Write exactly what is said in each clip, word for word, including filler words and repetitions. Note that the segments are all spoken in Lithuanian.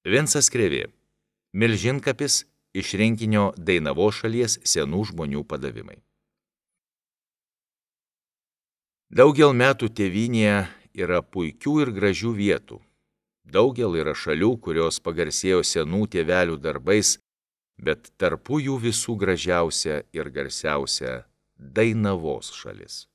Vincas Krėvė. Milžinkapis iš rinkinio Dainavos šalies senų žmonių padavimai. Daugel metų tėvynėje yra puikių ir gražių vietų. Daugel yra šalių, kurios pagarsėjo senų tėvelių darbais, bet tarpu jų visų gražiausia ir garsiausia Dainavos šalis.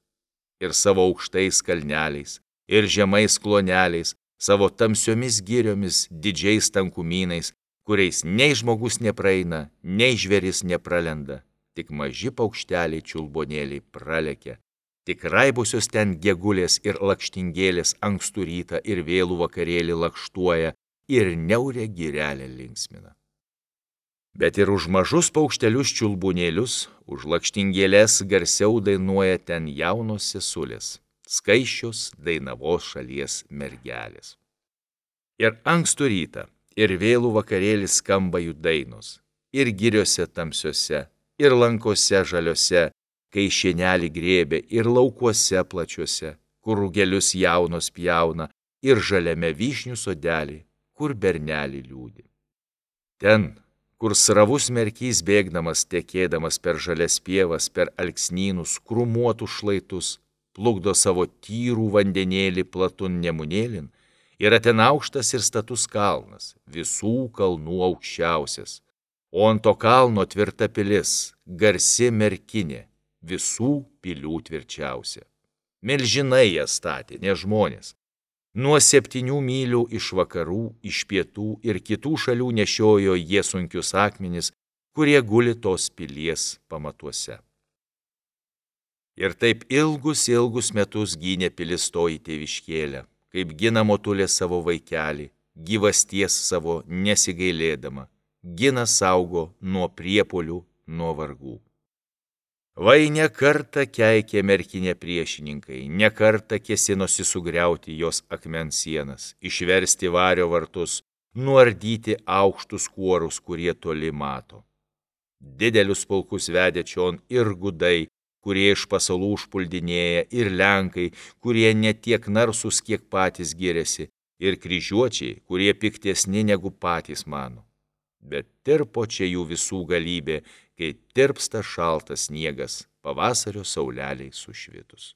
Ir savo aukštais kalneliais, ir žemais kloneliais, savo tamsiomis giriomis, didžiais tankumynais, kuriais nei žmogus nepraeina, nei žvėris nepralenda, tik maži paukšteliai čiulbonėliai pralekia, tik raibusios ten gegulės ir lakštingėlės ankstų rytą ir vėlų vakarėlį lakštuoja ir niaurę girelę linksmina. Bet ir už mažus paukštelius čiulbonėlius, už lakštingėlės garsiau dainuoja ten jaunos sesulės, skaisčios Dainavos šalies mergelės. Ir ankstų rytą, ir vėlų vakarėlį skamba jų dainos, ir giriose tamsiose, ir lankose žaliose, kai šienelį grėbė, ir laukuose plačiuose, kur rugelius jaunos pjauna, ir žaliame vyšnių sodelį, kur bernelį liūdi. Ten, kur sravus merkys bėgdamas, tekėdamas per žalias pievas, per alksnynus, krūmuotus šlaitus, plukdo savo tyrų vandenėlį platun nemunėlin, yra ten aukštas ir status kalnas, visų kalnų aukščiausias, o ant to kalno tvirta pilis, garsi merkinė, visų pilių tvirčiausia. Milžinai ją statė, ne žmonės. Nuo septynių mylių iš vakarų, iš pietų ir kitų šalių nešiojo jie sunkius akmenis, kurie guli tos pilies pamatuose. Ir taip ilgus, ilgus metus gynė pilis toji tėviškėlę, kaip gina motulė savo vaikelį, gyvasties savo nesigailėdama, gina saugo nuo priepuolių, nuo vargų. Vai ne kartą keikė merkinė priešininkai, ne kartą kėsinosi sugriauti jos akmens sienas, išversti vario vartus, nuardyti aukštus kuorus, kurie toli mato. Didelius pulkus vedė čion ir gudai, kurie iš pasalų užpuldinėja, ir lenkai, kurie ne tiek narsus, kiek patys giriasi, ir kryžiuočiai, kurie piktesni negu patys mano. Bet tirpo čia jų visų galybė, kai tirpsta šaltas sniegas pavasario sauleliai sušvitus.